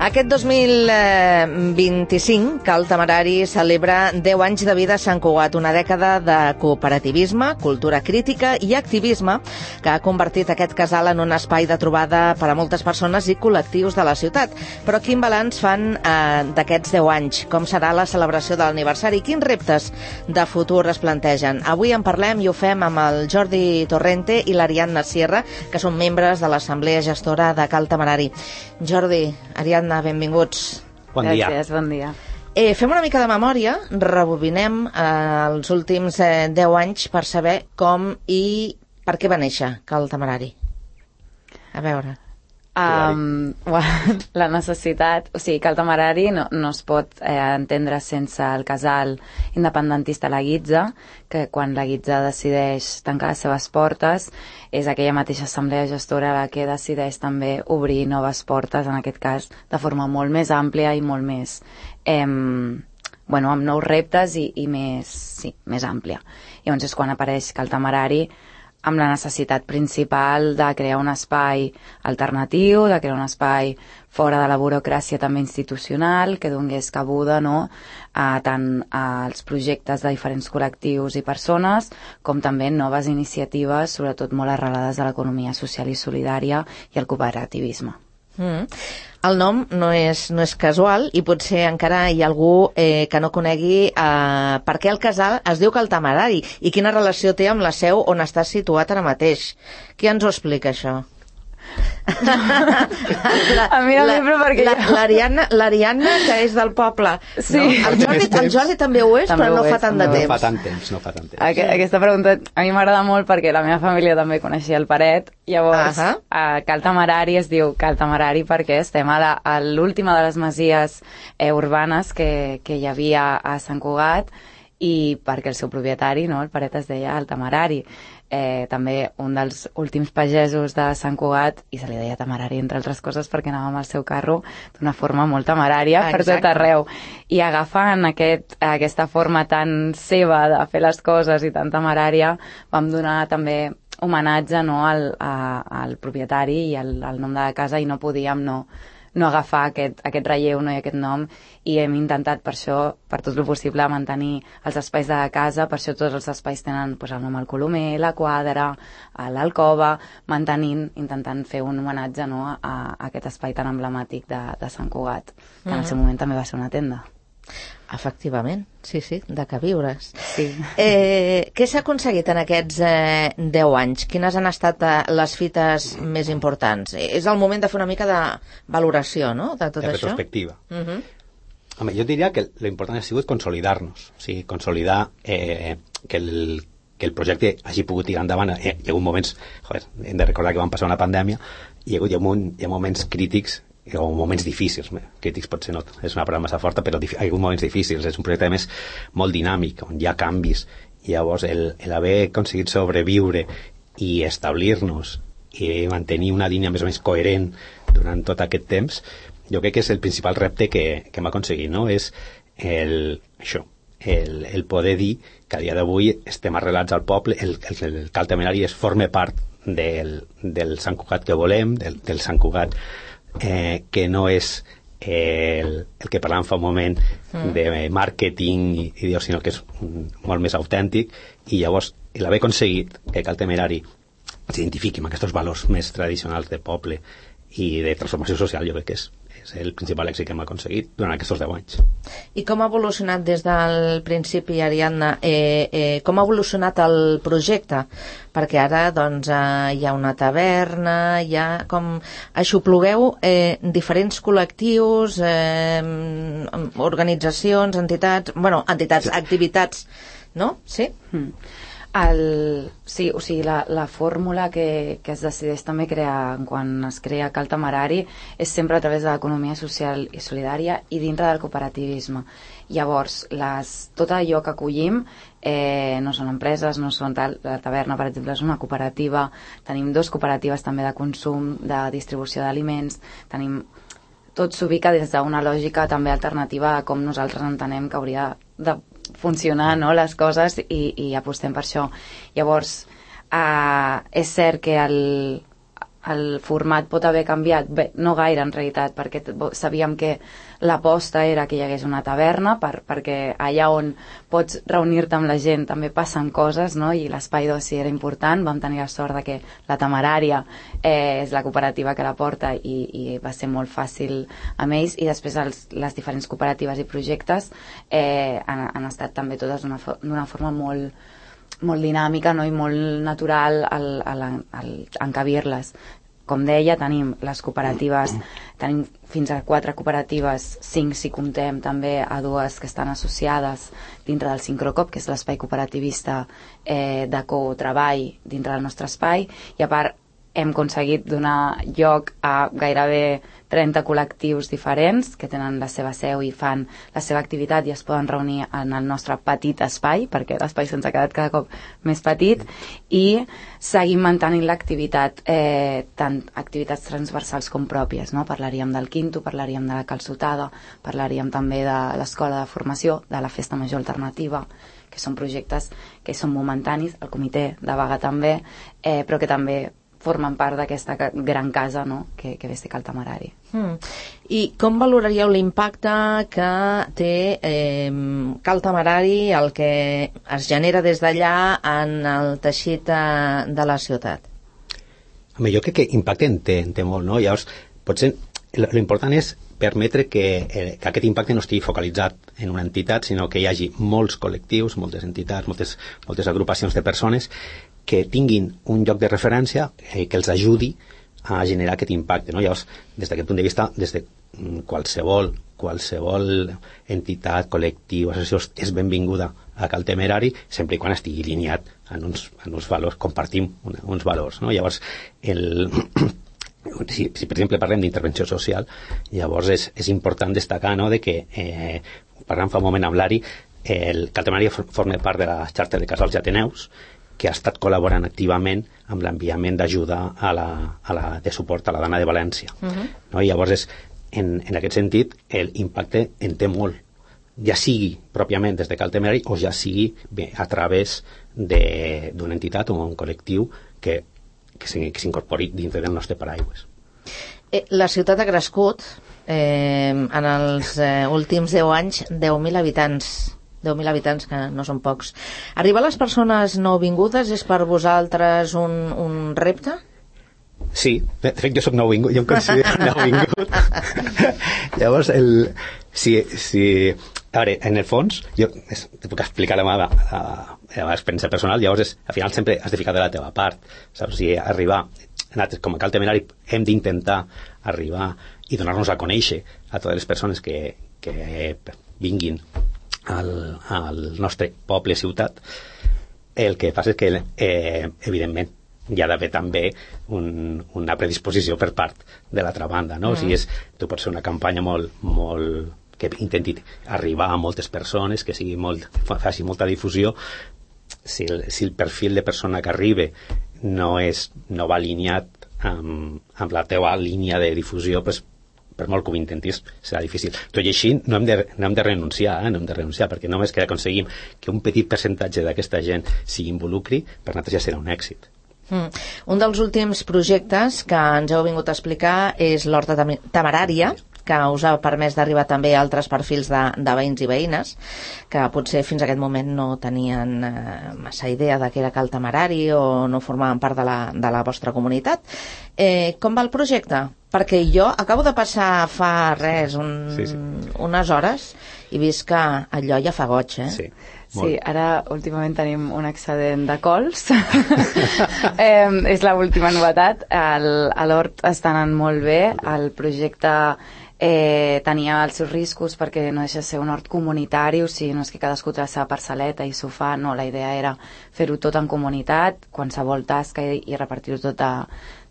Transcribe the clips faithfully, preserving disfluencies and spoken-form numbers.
Aquest dos mil vint-i-cinc, Cal Temerari celebra deu anys de vida a Sant Cugat, una dècada de cooperativisme, cultura crítica i activisme que ha convertit aquest casal en un espai de trobada per a moltes persones i col·lectius de la ciutat. Però quin balanç fan eh, d'aquests deu anys? Com serà la celebració de l'aniversari? Quins reptes de futur es plantegen? Avui en parlem i ho fem amb el Jordi Torrente i l'Ariadna Sierra, que són membres de l'Assemblea Gestora de Cal Temerari. Jordi, Ariadna, benvinguts. Bon dia. Gràcies, bon dia. Eh, fem una mica de memòria, rebobinem eh, els últims eh, deu anys per saber com i per què va néixer Cal Temerari. A veure... Um, la necessitat, o sigui, Cal Temerari no, no es pot eh, entendre sense el casal independentista La Guitza, que quan La Guitza decideix tancar les seves portes és aquella mateixa assemblea gestora la que decideix també obrir noves portes, en aquest cas de forma molt més àmplia i molt més eh, bueno, amb nous reptes i, i més, sí, més àmplia. Llavors és quan apareix Cal Temerari amb la necessitat principal de crear un espai alternatiu, de crear un espai fora de la burocràcia també institucional, que donés cabuda, no?, a tant als projectes de diferents col·lectius i persones, com també noves iniciatives, sobretot molt arrelades a l'economia social i solidària i al cooperativisme. Mm. El nom no és, no és casual i potser encara hi ha algú eh, que no conegui eh, per què el casal es diu Cal Temerari i quina relació té amb la seu on està situat ara mateix. Qui ens ho explica, això? la, a mi no la, però perquè la, jo... L'Ariadna, l'Ariadna, que és del poble. Sí. No? El, Jordi, el Jordi també ho és, també però no és, fa tant de no temps. fa tant temps. No fa tant temps. Aqu aquesta pregunta a mi m'agrada molt perquè la meva família també coneixia el Paret. Llavors, uh -huh. a Cal Temerari es diu Cal Temerari perquè estem a, la, a l'última de les masies eh, urbanes que, que hi havia a Sant Cugat i perquè el seu propietari, no, el Paret, es deia el Temerari. Eh, també un dels últims pagesos de Sant Cugat i se li deia Temerari, entre altres coses, perquè anava amb el seu carro d'una forma molt temerària ah, per tot arreu. I agafant aquest, aquesta forma tan seva de fer les coses i tan temerària, vam donar també homenatge, no, al, a, al propietari i al, al nom de la casa, i no podíem no, no agafar aquest, aquest relleu, no, i aquest nom, i hem intentat per això, per tot el possible, mantenir els espais de la casa. Per això tots els espais tenen pues, el nom al Colomer, la quadra, l'alcova, mantenint, intentant fer un homenatge, no, a, a aquest espai tan emblemàtic de, de Sant Cugat, que en el seu moment també va ser una tenda. Efectivament, sí, sí, de queviures. Sí. Eh, què s'ha aconseguit en aquests eh, deu anys? Quines han estat eh, les fites més importants? Eh, és el moment de fer una mica de valoració, no?, de tot de això. Retrospectiva. Uh -huh. Home, jo diria que l'important ha sigut consolidar-nos, o sigui, consolidar eh, que, el, que el projecte hagi pogut tirar endavant. Eh, hi ha hagut moments, joder, hem de recordar que vam passar una pandèmia, i hi ha hagut hi ha, hi ha moments crítics o moments difícils, crítics potser no és una paraula massa forta, però hi ha hagut moments difícils. És un projecte més molt dinàmic, on hi ha canvis, i llavors el, el haver aconseguit sobreviure i establir-nos i mantenir una línia més o menys coherent durant tot aquest temps, jo crec que és el principal repte que, que hem aconseguit, no? És el, això, el, el poder dir que a dia d'avui estem arrelats al poble, el, el, el Cal Temerari es forma part del, del Sant Cugat que volem, del, del Sant Cugat Eh, que no és eh, el, el que parlàvem fa un moment mm. de màrqueting i, i Dios, sinó que és un, molt més autèntic. I llavors l'haver aconseguit que Cal Temerari s'identifiqui amb aquests valors més tradicionals de poble i de transformació social, jo crec que és, és el principal èxit que hem aconseguit durant aquests deu anys. I com ha evolucionat des del principi, Ariadna? Eh, eh, com ha evolucionat el projecte? Perquè ara doncs, eh, hi ha una taverna, hi ha com... Aixoplugueu eh, diferents col·lectius, eh, organitzacions, entitats... Bueno, entitats, sí. Activitats, no? Sí? Mm. El, sí, o sigui, la, la fórmula que, que es decideix també crear quan es crea Cal Temerari és sempre a través de l'economia social i solidària i dintre del cooperativisme. Llavors, les, tot allò que acollim eh, no són empreses, no són tal. La taverna, per exemple, és una cooperativa. Tenim dos cooperatives també de consum, de distribució d'aliments. Tenim... Tot s'ubica des d'una lògica també alternativa a com nosaltres entenem que hauria de funcionar, no?, les coses, i, i apostem per això. Llavors, eh, és cert que el, el format pot haver canviat? Bé, no gaire en realitat, perquè sabíem que l'aposta era que hi hagués una taverna, per, perquè allà on pots reunir-te amb la gent també passen coses, no? I l'espai d'oci era important. Vam tenir la sort de que la Temerària eh, és la cooperativa que la porta i, i va ser molt fàcil amb ells, i després els, les diferents cooperatives i projectes eh, han, han estat també totes d'una forma molt molt dinàmica, no? I molt natural al, al, al encabir-les. Com deia, tenim les cooperatives, tenim fins a quatre cooperatives, cinc si comptem també a dues que estan associades dintre del Sincrocop, que és l'espai cooperativista eh, de cotreball dintre del nostre espai, i a part hem aconseguit donar lloc a gairebé trenta col·lectius diferents que tenen la seva seu i fan la seva activitat i es poden reunir en el nostre petit espai, perquè l'espai se'ns ha quedat cada cop més petit, i seguim mantenint l'activitat, eh, tant activitats transversals com pròpies, no? Parlaríem del Quinto, parlaríem de la calçotada, parlaríem també de l'escola de formació, de la festa major alternativa, que són projectes que són momentanis, el comitè de vaga també, eh, però que també formen part d'aquesta gran casa, no? que, que ves té Cal Temerari. Mm. I com valoraríeu l'impacte que té eh, Cal Temerari, el que es genera des d'allà en el teixit de, de la ciutat? Home, jo crec que impacte en té, en té molt, no? Llavors, potser l'important és permetre que, eh, que aquest impacte no estigui focalitzat en una entitat, sinó que hi hagi molts col·lectius, moltes entitats, moltes, moltes agrupacions de persones que tinguin un lloc de referència eh, que els ajudi a generar aquest impacte, no? Llavors, des d'aquest punt de vista, des de qualsevol, qualsevol entitat, col·lectiu, associació és benvinguda a Cal Temerari, sempre i quan estigui alineat en uns, en uns valors, compartim una, uns valors, no? Llavors, el... Si, si per exemple parlem d'intervenció social, llavors és, és important destacar, no?, de que eh, parlant fa un moment amb l'Ari, el Cal Temerari forma part de la xarxa de casals i ateneus, que ha estat col·laborant activament amb l'enviament d'ajuda a la, a la, de suport a la dona de València. Uh-huh. No? I llavors, és, en, en aquest sentit, l'impacte en té molt, ja sigui pròpiament des de Cal Temerari o ja sigui bé, a través d'una entitat o un col·lectiu que, que s'incorpori dintre del nostre paraigües. Eh, la ciutat ha crescut eh, en els eh, últims deu anys, deu mil habitants. deu mil habitants, que no són pocs. Arribar a les persones nouvingudes és per vosaltres un, un repte? Sí, de fet jo soc nouvingut, jo em considero nouvingut. Llavors, el, si, si, a veure, en el fons, jo te puc explicar la meva, la, la meva experiència personal, llavors és, al final sempre has de ficar de la teva part, saps? Si arribar, com a Cal Temerari, hem d'intentar arribar i donar-nos a conèixer a totes les persones que, que vinguin al, al nostre poble, ciutat. El que passa és que eh, evidentment hi ha d'haver també un, una predisposició per part de l'altra banda, no? Mm. O sigui, és, tu pots fer una campanya molt, molt que intenti arribar a moltes persones, que sigui molt, faci molta difusió. Si el, si el perfil de persona que arriba no, és, no va alineat amb, amb la teva línia de difusió, pues, per molt que ho intentis, serà difícil. Tot i així, no hem de, no hem de renunciar, eh? no hem de renunciar, perquè només que aconseguim que un petit percentatge d'aquesta gent s'hi involucri, per nosaltres ja serà un èxit. Mm. Un dels últims projectes que ens heu vingut a explicar és l'Horta Temerària, que us ha permès d'arribar també a altres perfils de, de veïns i veïnes, que potser fins a aquest moment no tenien eh, massa idea de què era Cal Temerari o no formaven part de la, de la vostra comunitat. Eh, com va el projecte? Perquè jo acabo de passar fa res, un, sí, sí. unes hores, i vist que allò ja fa goig, eh? Sí. Molt. Sí, ara últimament tenim un excedent de cols. eh, és l'última novetat. El, a l'Hort està anant molt bé. El projecte eh, tenia els seus riscos perquè no deixa de ser un hort comunitari, o sigui, no és que cadascú té la seva parcel·leta i s'ho fa, no, la idea era fer-ho tot en comunitat, qualsevol tasca, i, i repartir-ho tot de,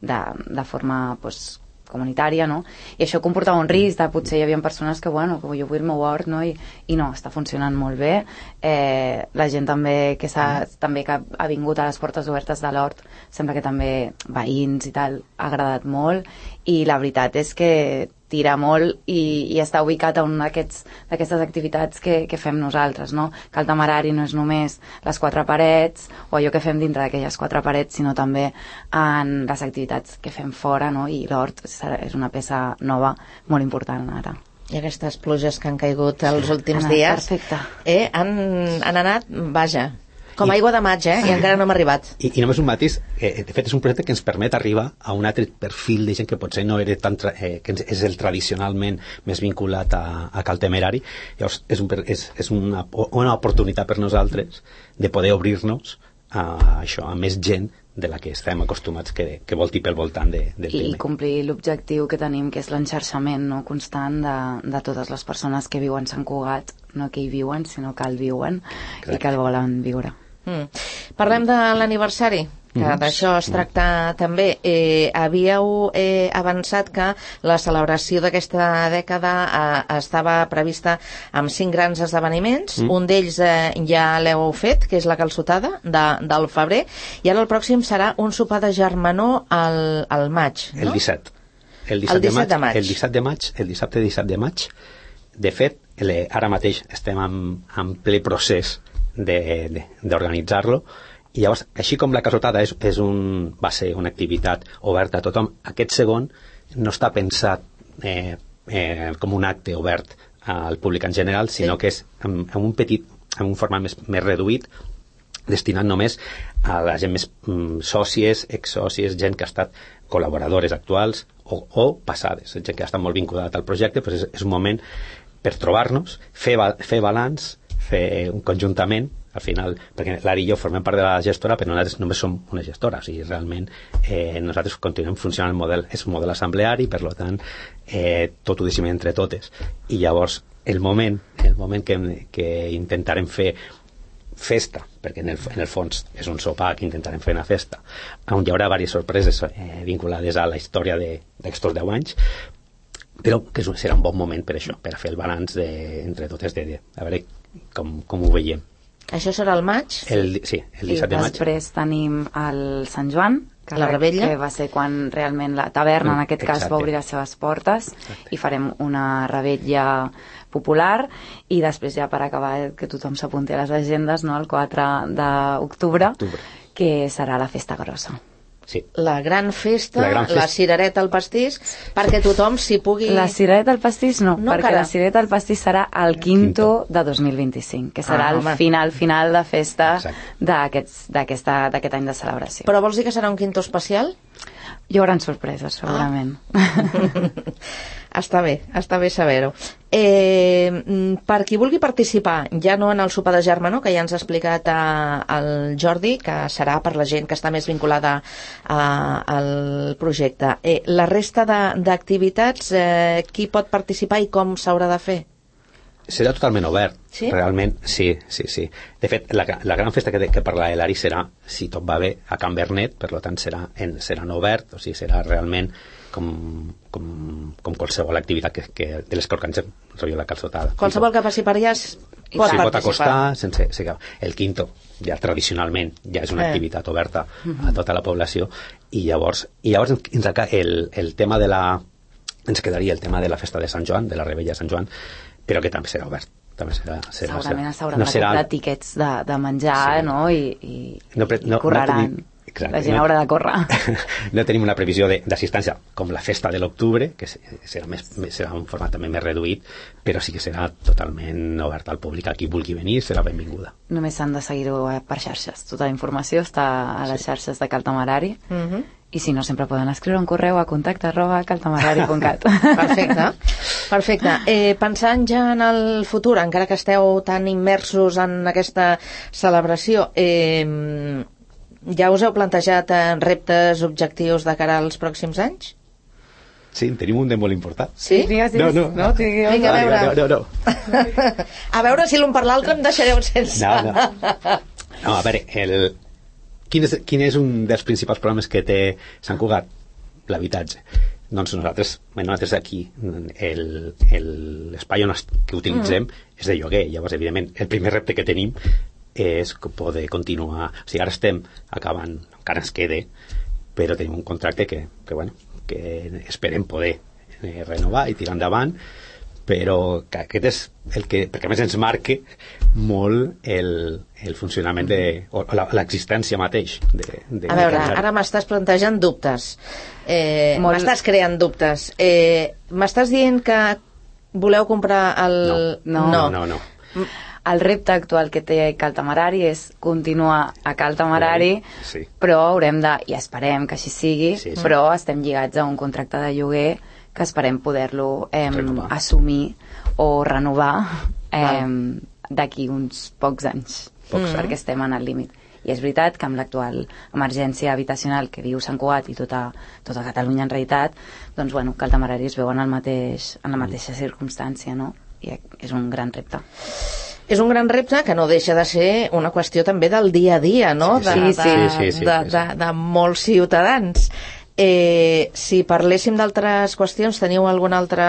de, de forma, pues, comunitària, no? I això comportava un risc de potser hi havia persones que, bueno, que jo vull el meu hort, no? I, i no, està funcionant molt bé. Eh, la gent també que, s'ha, també que ha vingut a les portes obertes de l'hort, sembla que també veïns i tal, ha agradat molt, i la veritat és que tira molt i, i està ubicat a una d'aquestes activitats que, que fem nosaltres, no? Que el temerari no és només les quatre parets o allò que fem dintre d'aquelles quatre parets, sinó també en les activitats que fem fora, no? I l'hort és una peça nova molt important ara. I aquestes pluges que han caigut els últims anat, dies perfecte. Eh, han, han anat, vaja, com aigua de maig, eh? I encara no hem arribat. I, i només un matís, eh, de fet és un projecte que ens permet arribar a un altre perfil de gent que potser no era tan tra eh, que és el tradicionalment més vinculat a, a Cal Temerari. Llavors és, un, és, és una, una oportunitat per nosaltres de poder obrir-nos a això, a més gent de la que estem acostumats que, que volti pel voltant de, del I tema. I complir l'objectiu que tenim, que és l'enxarxament, no?, constant de, de totes les persones que viuen a Sant Cugat, no que hi viuen, sinó que el viuen. Exacte. I que el volen viure. Mm. Parlem de l'aniversari, que mm. d'això es tracta mm. també. Eh, havíeu eh, avançat que la celebració d'aquesta dècada eh, estava prevista amb cinc grans esdeveniments. Mm. Un d'ells eh, ja l'heu fet, que és la calçotada de, del febrer, i ara el pròxim serà un sopar de germanor al, al maig, no? El disset. El disset, el disset de, maig, de maig. El disset de maig. El dissabte disset de maig. De fet, le, ara mateix estem en, en ple procés d'organitzar-lo, i llavors, així com la calçotada és, és un, va ser una activitat oberta a tothom, aquest segon no està pensat eh, eh, com un acte obert al públic en general, sinó sí. que és en, en un petit, en un format més, més reduït, destinat només a la gent més mm, sòcies, ex-sòcies, gent que ha estat col·laboradores actuals o, o passades, gent que ha estat molt vinculada al projecte. Pues és, és un moment per trobar-nos, fer, fer balanç, fer un conjuntament, al final, perquè l'Ari i jo formem part de la gestora, però nosaltres només som una gestora, o sigui, realment eh, nosaltres continuem funcionant el model, és un model assembleari, per tant, eh, tot ho decidim entre totes, i llavors el moment, el moment que, que intentarem fer festa, perquè en el, en el fons és un sopar que intentarem fer una festa, on hi haurà diverses sorpreses eh, vinculades a la història d'aquests deu anys, però que serà un bon moment per això, per fer el balanç de, entre totes, de, de, a veure com, com ho veiem. Això serà el maig? El, sí, el disset de maig. I després tenim el Sant Joan, que, la Rebella, que va ser quan realment la taverna, en aquest cas, Exacte. va obrir les seves portes. Exacte. I farem una rebella popular, i després ja per acabar, que tothom s'apunti a les agendes, no?, el quatre d'octubre, que serà la festa grossa. Sí. La gran festa, la, gran festa. la cirereta al pastís, perquè tothom s'hi pugui... La cirereta al pastís no, no perquè cara. La cirereta al pastís serà el quinto, quinto. de dos mil vint-i-cinc, que serà ah, el home. final, final de festa d'aquest any de celebració. Però vols dir que serà un quinto especial? Hi haurà sorpreses, segurament. Ah. Està bé, està bé saber-ho. Eh, per qui vulgui participar, ja no en el sopar de germanor, que ja ens ha explicat el Jordi, que serà per la gent que està més vinculada a, al projecte. Eh, la resta d'activitats, eh, qui pot participar i com s'haurà de fer? Serà totalment obert, sí? realment, sí, sí, sí. De fet, la, la gran festa que, que parla l'Ari serà, si tot va bé, a Can Bernet, per tant serà, en, serà en obert, o sigui, serà realment com, com, com qualsevol activitat que, que, de les que organitzem, rotllo la calçotada. Qualsevol que passi per allà pot sí, participar. Pot acostar, sense, sense, el quinto, ja tradicionalment, ja és una eh. activitat oberta a tota la població, i llavors, i llavors ens, el, el tema de la... ens quedaria el tema de la festa de Sant Joan, de la Rebella de Sant Joan, però que també serà obert. També serà, serà, segurament s'hauran no de serà... comprar tiquets de, de menjar, sí. no? I, i, no, pre... no, i correran. No tenim... Exacte, la gent no... haurà de córrer. No tenim una previsió d'assistència com la festa de l'octubre, que serà, més, serà un format també més reduït, però sí que serà totalment obert al públic. A qui vulgui venir serà benvinguda. Només s'han de seguir-ho per xarxes. Tota la informació està a les sí. xarxes de Cal Temerari. Uh-huh. I si no, sempre poden escriure un correu a contacte arroba caltemerari punt cat. Perfecte. Perfecte. Eh, pensant ja en el futur, encara que esteu tan immersos en aquesta celebració, eh, ja us heu plantejat reptes, objectius de cara als pròxims anys? Sí, tenim un de molt important. Sí? Digues, no, no. no, digues. Vinga, a veure. No, no, no. A veure si l'un per l'altre em deixareu sense. No, no. No, a veure, el... Quin és, quin és un dels principals problemes que té Sant Cugat? L'habitatge. Doncs nosaltres, bueno, nosaltres aquí, l'espai que utilitzem mm. és de lloguer. Llavors, evidentment, el primer repte que tenim és poder continuar. O sigui, ara estem acabant, encara ens quede, però tenim un contracte que, que, bueno, que esperem poder eh, renovar i tirar endavant, però que aquest és el que, perquè a més ens marca molt el, el funcionament de, o l'existència mateix de, de, a veure, ara m'estàs plantejant dubtes, eh, molt... m'estàs creant dubtes, eh, m'estàs dient que voleu comprar el... No, no, no, no, no. El repte actual que té Cal Temerari és continuar a Cal Temerari, sí. Però haurem de, i esperem que així sigui, sí, sí. Però estem lligats a un contracte de lloguer que esperem poder-lo eh, assumir o renovar eh, d'aquí uns pocs anys, pocs, perquè estem en el límit. I és veritat que amb l'actual emergència habitacional que viu Sant Cugat i tota, tota Catalunya en realitat, doncs bueno, Cal Temerari es veu en, el mateix, en la mateixa circumstància, no? I és un gran repte. És un gran repte que no deixa de ser una qüestió també del dia a dia, no? Sí, sí, sí. De, sí, sí, sí, de, de, de molts ciutadans. Eh, si parléssim d'altres qüestions, teniu algun altre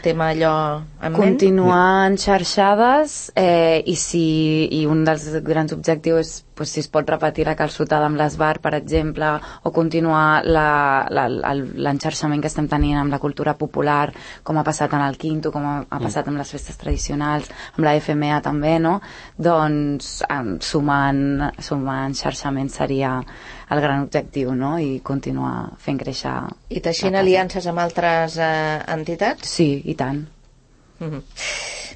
tema allò en ment? Continuar en xarxades eh, i, si, i un dels grans objectius és pues, si es pot repetir la calçotada amb l'Esbar, per exemple, o continuar l'enxarxament que estem tenint amb la cultura popular, com ha passat en el Quinto, com ha, ha passat amb les festes tradicionals, amb la F M A també, no? Doncs eh, sumant, sumant xarxament seria el gran objectiu, no? I continuar fent créixer... I teixint aliances amb altres eh, entitats? Sí, i tant. Mm-hmm.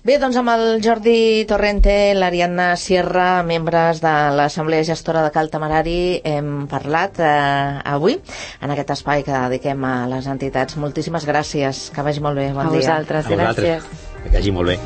Bé, doncs amb el Jordi Torrente, l'Ariadna Sierra, membres de l'Assemblea Gestora de Cal Temerari, hem parlat eh, avui en aquest espai que dediquem a les entitats. Moltíssimes gràcies, que vagi molt bé, bon a dia. Vosaltres, a vosaltres, gràcies. que vagi molt bé.